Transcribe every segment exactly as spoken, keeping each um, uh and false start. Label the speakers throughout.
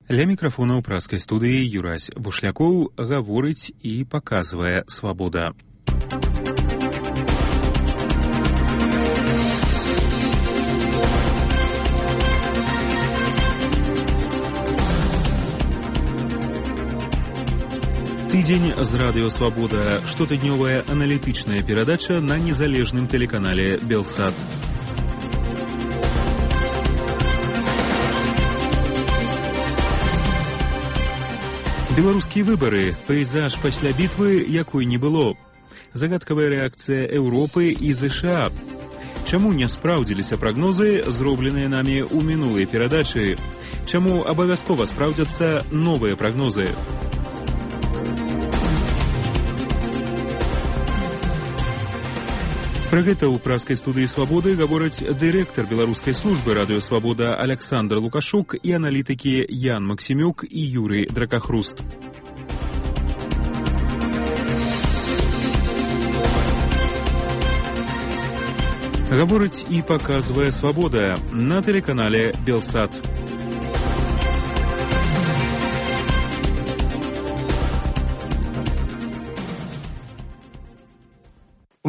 Speaker 1: Ля мікрафона ў праскай студыі Юрась Бушлякоў гаворыць і паказвае «Свабода». Тыдзень з радыё «Свабода» – штотыднёвая аналітычная перадача на незалежным тэлеканале «Белсат». Беларускія выбары. Пейзаж пасля бітвы, якой не было. Загадкавая рэакцыя Еўропы і ЗША. Чаму не спраўдзіліся прагнозы, зробленыя намі ў мінулай перадачы? Чаму абавязкова спраўдзяцца новыя прагнозы? Пра гэта ў праскай студыі «Свабоды» гавораць дырэктар беларускай службы радыё «Свабода» Аляксандр Лукашук і аналітыкі Ян Максімюк і Юрый Дракахруст. Гаворыць і паказвае «Свабода» на тэлеканале «Белсат».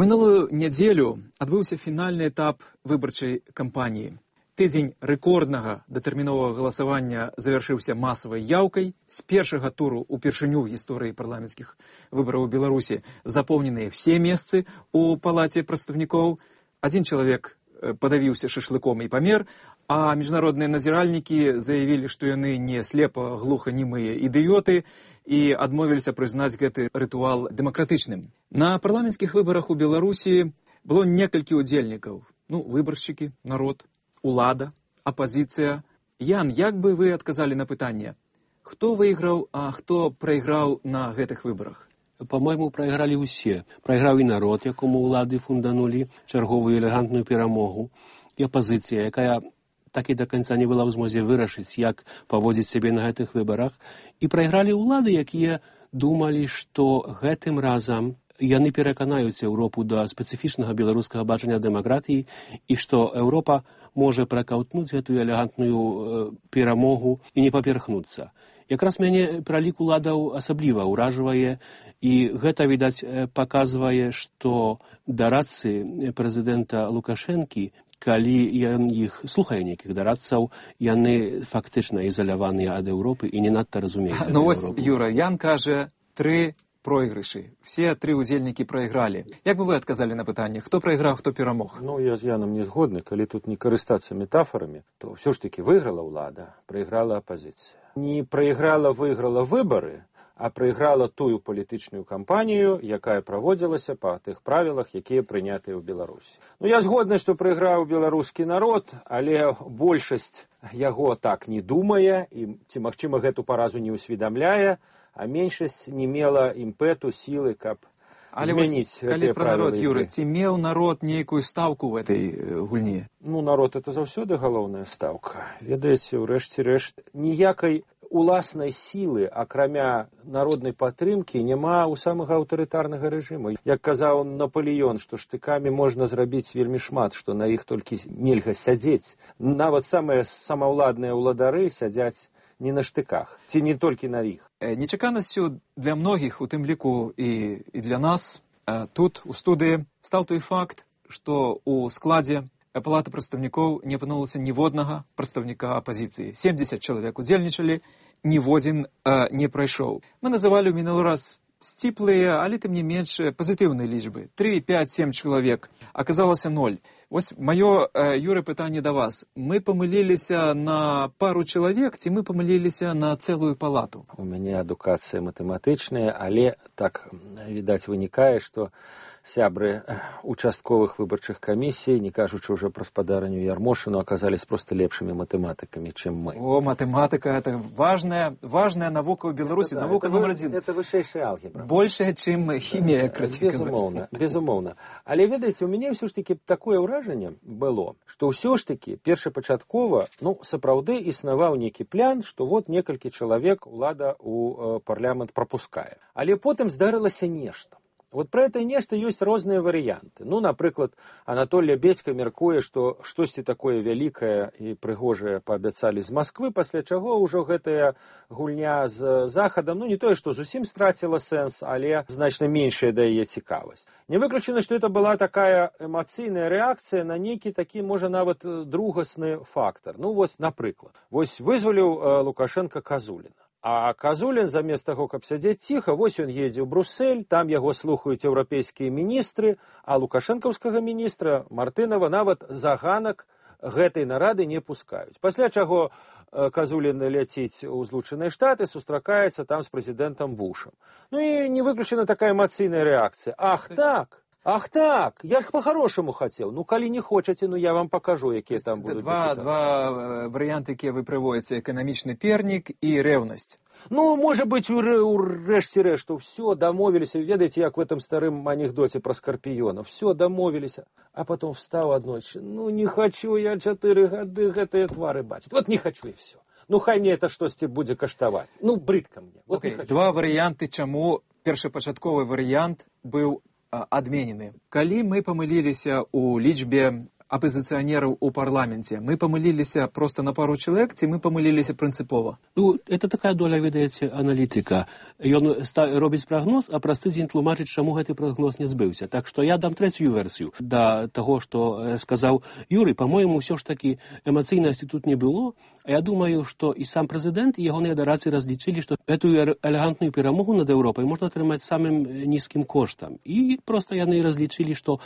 Speaker 2: У мінулую нядзелю адбыўся фінальны этап выбарчай кампаніі. Тыдзень рэкорднага датэрміновага галасавання завяршыўся масавай яўкай. З першага туру упершыню ў гісторыі парламенцкіх выбараў у Беларусі запоўненыя ўсе месцы ў палаце прадстаўнікоў. Адзін чалавек падавіўся шашлыком і памер, а міжнародныя назіральнікі заявілі, што яны не слепа-глуханімыя ідыёты і адмовіліся прызнаць гэты рытуал дэмакратычным. На парламенцкіх выбарах у Беларусі было некалькі удзельнікаў. Ну, выбаршчыкі, народ, улада, апазіцыя. Ян, як бы вы адказалі на пытанне? Хто выйграў, а хто прайграў на гэтых выбарах?
Speaker 3: По-моему, прайгралі ўсе. Прайграў і народ, якому ўлады фунданулі чарговую элегантную перамогу, і апазіцыя, якая так і да канца не была ў змозе вырашыць, як паводзіць сябе на гэтых выбарах. І прайгралі ўлады, якія думалі, што гэтым разам яны пераканаюць Еўропу да спецыфічнага беларускага бачання дэмакратыі і што Еўропа можа пракаўтнуць гэтую элегантную э, перамогу і не паперхнуцца. Якраз мяне пралік уладаў асабліва ўражвае, і гэта, відаць, паказвае, што дарадцы прэзідэнта Лукашэнкі, калі ён іх слухае нейкіх дарадцаў, яны фактычна ізаляваныя ад Еўропы і не надта разумеюць.
Speaker 2: Ну вось, Юра, Ян кажа, тры пройгрышы. Все тры удзельнікі прайгралі. Як бы вы адказалі на пытанне, хто прайграў, хто перамог?
Speaker 4: Ну, я з Янам не згодны. Калі тут не карыстацца метафорамі, то ўсё ж такі выйграла ўлада, прайграла апазіцыя. Не прайграла, выйграла выбары, а прайграла тую палітычную кампанію, якая праводзілася па тых правілах, якія прынятыя ў Беларусі. Ну, я згодны, што прайграў беларускі народ, але большасць яго так не думае, і, ці, магчыма, гэту паразу не ўсведамляе, а меншасць не мела імпэту, сілы, каб
Speaker 2: але змяніць гэтыя правілы. Але пра народ, Юры, ці меў народ нейкую стаўку ў этой гульні?
Speaker 4: Ну, народ — это заўсёды галоўная стаўка. Ведаеце, ўрэшце рэшт, ніякай уласнай сілы, акрамя народнай падтрымкі, няма ў самага аўтарытарнага рэжыму. Як казаў Напалеён, што штыкамі можна зрабіць вельмі шмат, што на іх толькі нельга сядзець. Нават самыя самаўладныя ўладары сядзяць не на штыках, ці не толькі на іх.
Speaker 2: Нечаканасцю для многіх, у тым ліку і, і для нас, тут, у студыі, стаў той факт, што ў складзе палаты прадстаўнікоў не апынулася ніводнага прадстаўніка апазіцыі. семдзесят чалавек удзельнічалі, ніводзін э, не прайшоў. Мы называлі ў мінулы раз сціплыя, але тым не менш пазітыўныя лічбы. тры, пяць, сем чалавек. Аказалася ноль. Вось маё, э, Юры, пытанне да вас. Мы памыліліся на пару чалавек, ці мы памыліліся на цэлую палату?
Speaker 4: У мяне адукацыя матэматычная, але так, відаць, вынікае, што сябры участковых выбарчых камісій, не кажучы ўжо пра спадарню Ярмошыну, аказались просто лепшымі матэматыкамі, чым мы.
Speaker 2: О, матэматыка — это важная, важная навука ў Беларусі,
Speaker 4: это,
Speaker 2: навука
Speaker 4: это,
Speaker 2: номер адзін.
Speaker 4: Это вышэйшая алгебра.
Speaker 2: Большая, чым хімія, краці казаць.
Speaker 4: Безумоўна, безумоўна. Але, ведаеце, у мяне ўсё ж такі такое ўражанне было, што ўсё ж такі першапачаткова, ну, сапраўды існаваў нейкі план, што вот некалькі чалавек улада ў э, парламент прапускае. Але потым здарылася нешта. Вот про это нешта ёсць розныя варыянты. Ну, напрыклад, Анатолий Бедька мяркуе, што штосьці такое вялікае і прыгожае паабяцалі з Масквы, пасля чаго ўжо гэтая гульня з захадам, ну, не тое, што зусім страціла сэнс, але значна меншая да яе цікавасць. Не выключана, што это была такая эмацыйная рэакцыя на нейкі такі, можа, нават другасны фактар. Ну, вось, напрыклад, вось вызваліў Лукашенко Казуліна. А Казулін, замест таго, каб сядзець ціха, вось ён едзе ў Бруссель, там яго слухаюць еўрапейскія міністры, а лукашэнкаўскага міністра Мартынова нават за ганак гэтай нарады не пускаюць. Пасля чаго Казулін ляціць у Злучаныя Штаты, сустракаецца там з прэзідэнтам Бушам. Ну і не выключана такая эмацыйная рэакцыя. Ах так! Ах так, я ж по-хорошему хотел. Ну, калі не хочаце, ну я вам покажу, якія там будут.
Speaker 2: Два, два варыянты, якія вы прыводзіце: эканамічны пернік і рэўнасць.
Speaker 4: Ну, может быть, у, у рэшце рэшту все, домовились. Ведаете, як в этом старым анекдоте про скорпиона. Все, домовились. А потом встал одночь. Ну, не хочу я чатыры гады гэтыя твары бачыць. Вот не хочу и все. Ну, хай мне это штосьці будзе каштаваць. Ну, брыдка мне. Вот
Speaker 2: okay. Два варыянты, чаму першапачатковы варыянт быў адменены. Калі мы памыліліся ў лічбе апозиционеров у парламенте, мы памыліліся просто на пару чалавек, ці мы памыліліся прынцыпова?
Speaker 3: Ну, это такая доля, ведаеце, аналітыка. Ён робіць прагноз, а праз тыдзень тлумачыць, чаму гэты прагноз не збыўся. Так што я дам трэцюю версію да таго, што сказаў Юрый. По-моему, ўсё ж такі эмацыйнасці тут не было. А я думаю, што і сам прэзідэнт, і ягоныя дарацы разлічылі, што гэтую элегантную перамогу над Еўропай можна атрымаць самым нізкім коштам. І проста яны разлічылі, што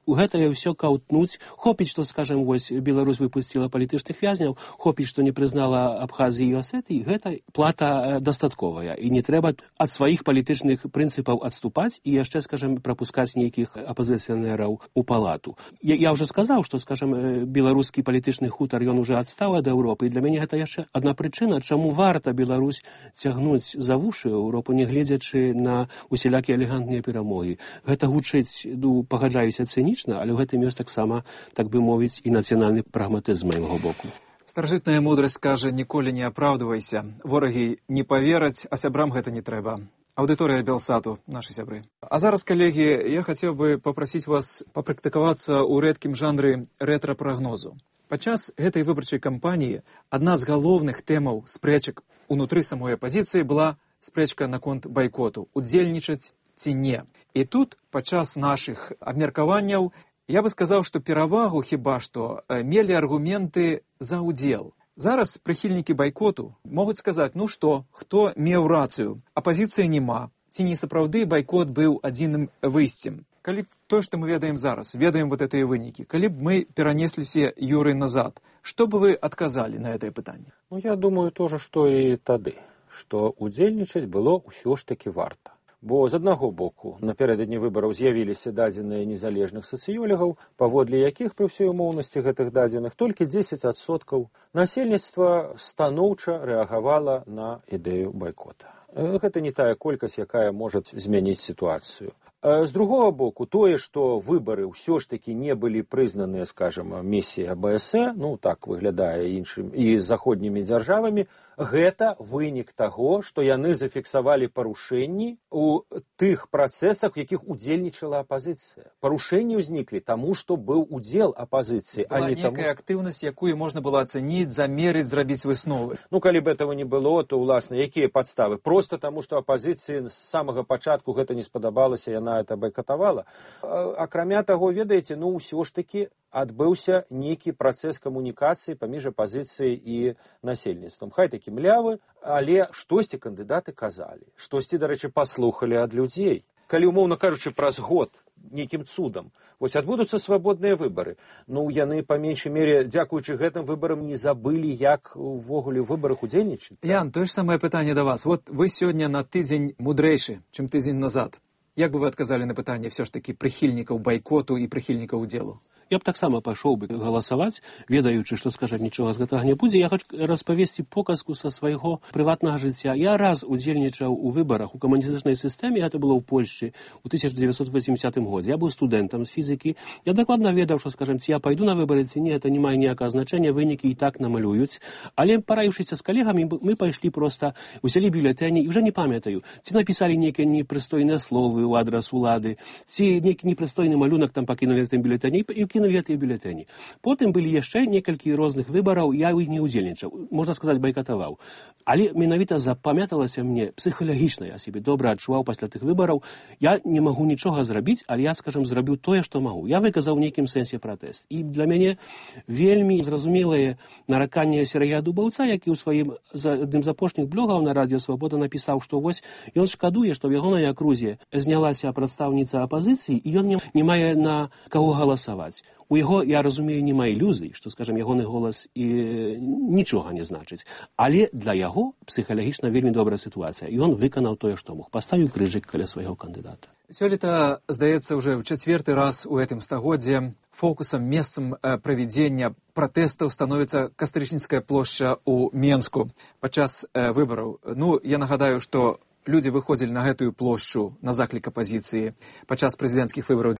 Speaker 3: у гэтае ўсё каўтнуць. Хопіць, што, скажем, вось Беларусь выпусціла палітычных вязняў, хопіць, што не прызнала Абхазіі і Осетыі, гэта плата дастатковая. І не трэба ад сваіх палітычных прынцыпаў адступаць і яшчэ, скажем, прапускаць нейкіх апозіцыянераў у палату. Я, я ўжо сказаў, што, скажем, беларускі палітычны хутар, ён уже адстаў ад Еўропы. І для мяне гэта яшчэ адна прычына, чаму варта Беларусь цягнуць за вушы Еўропу, не гледзячы на усялякія элегантныя перамогі. Гэта гучыць, ну, пагаджаюся, цынічна, але ў гэтым ёсць таксама, так бы мовіць, і нацыянальны прагматызм з майго боку.
Speaker 2: Старажытная мудрасць кажа: ніколі не апраўдвайся. Ворагі не павераць, а сябрам гэта не трэба. Аўдыторыя Белсату, нашы сябры. А зараз, калегі, я хацеў бы папрасіць вас папрактыкавацца ў рэдкім жанры рэтра-прагнозу. Падчас гэтай выбарчай кампаніі адна з галоўных тэмаў спрэчак унутры самой апазіцыі была спрэчка наконт байкоту, удзельнічаць ці не. І тут, падчас нашых абмеркаванняў, я бы сказаў, што перавагу хіба што мелі аргументы за ўдзел. Зараз прыхільнікі байкоту могуць сказаць: ну што, хто меў рацыю? Апазіцыі няма. Ці не сапраўды байкот быў адзіным выйсцем? Калі то, што мы ведаем зараз, ведаем вот гэтыя вынікі, калі б мы перанесліся, Юрый, назад, што бы вы адказалі на гэтае пытанне?
Speaker 4: Ну, я думаю, то же, што і тады, што удзельнічаць было ўсё ж такі варта. Бо з аднаго боку напярэдадні выбараў з'явіліся дадзеныя незалежных сацыёлегаў, паводле якіх пры ўсёй умоўнасці гэтых дадзеных толькі дзесяць адсоткаў насельніцтва станоўча рэагавала на ідэю байкота. Гэта не тая колькасць, якая можа змяніць сітуацыю. З другого боку, тое, што выбары ўсё ж такі не былі прызнаныя, скажем, місіяй а бэ эс э, ну так выглядае іншым, і з заходнімі дзяржавамі, гэта вынік таго, што яны зафіксавалі парушэнні ў тых працэсах, у якіх удзельнічала апазіцыя. Парушэнні ўзніклі таму, што быў удзел апазіцыі, а не таму...
Speaker 2: Была некая актыўнасць, якую можна было ацаніць, замерыць, зрабіць высновы.
Speaker 4: Ну, калі б этого не было, то, уласна, якія падставы? Просто таму, што апазіцыі з самага пачатку гэта не спадабалася, яна это байкатавала. Акрамя таго, ведаеце, ну, ўсё ж такі адбыўся нейкі працэс камунікацыі паміж апазіцыяй і насельніцтвам. Хай такі млявы, але штосьці кандыдаты казалі, штосьці, дарэчы, паслухалі ад людзей. Калі, умоўна кажучы, праз год нейкім цудам вось адбудуцца свабодныя выбары, ну, яны, па меншай мере, дзякуючы гэтым выбарам, не забылі, як увогуле ў выбарах удзельнічаць.
Speaker 2: Ян, тое ж самае пытанне да вас. Вот вы сёння на тыдзень мудрэйшы, чым тыдзень назад. Як бы вы адказалі на пытанне ўсё ж такі прыхільнікаў байкоту і прыхільнікаў удзелу?
Speaker 3: Я б таксама пайшоў бы галасаваць, ведаючы, што, скажам, нічога з гэтага не будзе. Я хочу распавесці показку са свайго прыватнага жыцця. Я раз удзельнічаў у выбарах у камуністычнай сістэме, гэта было ў Польшчы у тысяча дзевяцьсот восьмідзясятым годзе. Я быў студэнтам з фізікі. Я дакладна ведаў, што, скажам, ці я пайду на выбары, ці не, это не мае ніякага значэння, вынікі і так намалююць. Але параіўшыся з калегамі, мы пайшлі проста, узялі бюлетэні, і ўжо не памятаю, ці напісалі нейкія непрыстойныя словы ў адрас улады, ці нейкі непрыстойны малюнак там пакінулі тым бюлетэні, і кінулі гэтыя бюлетэні. Потым былі яшчэ некалькі розных выбараў, я ў іх не ўдзельнічаў, можна сказаць, байкатаваў. Але менавіта запамяталася мне псіхалагічна, я сябе добра адчуваў пасля тых выбараў. Я не магу нічога зрабіць, але я, скажам, зрабіў тое, што магу. Я выказаў у нейкім сэнсе пратэст. І для мяне вельмі зразумелае нараканне Сергея Дубаўца, які ў сваім адным з апошніх блогаў на радыё Свабода напісаў, што вось ён шкадуе, што ў ягонай акрузе знялася прадстаўніца апазіцыі, і ён не, не мае на каго галасаваць. У яго, я разумею, няма ілюзій, што, скажам, ягоны голас і нічога не значыць. Але для яго псіхалагічна вельмі добрая сітуацыя. І ён выканаў тое, што мог. Паставіў крыжык каля свайго кандыдата.
Speaker 2: Сёлета, здаецца, уже ў чацвёрты раз у гэтым стагоддзе фокусам, месцам правядзення пратэстаў становіцца Кастрычніцкая плошча ў Менску падчас выбараў. Ну, я нагадаю, што людзі выходзілі на гэтую плошчу на заклік апазіцыі падчас прэзідэнцкіх выбараў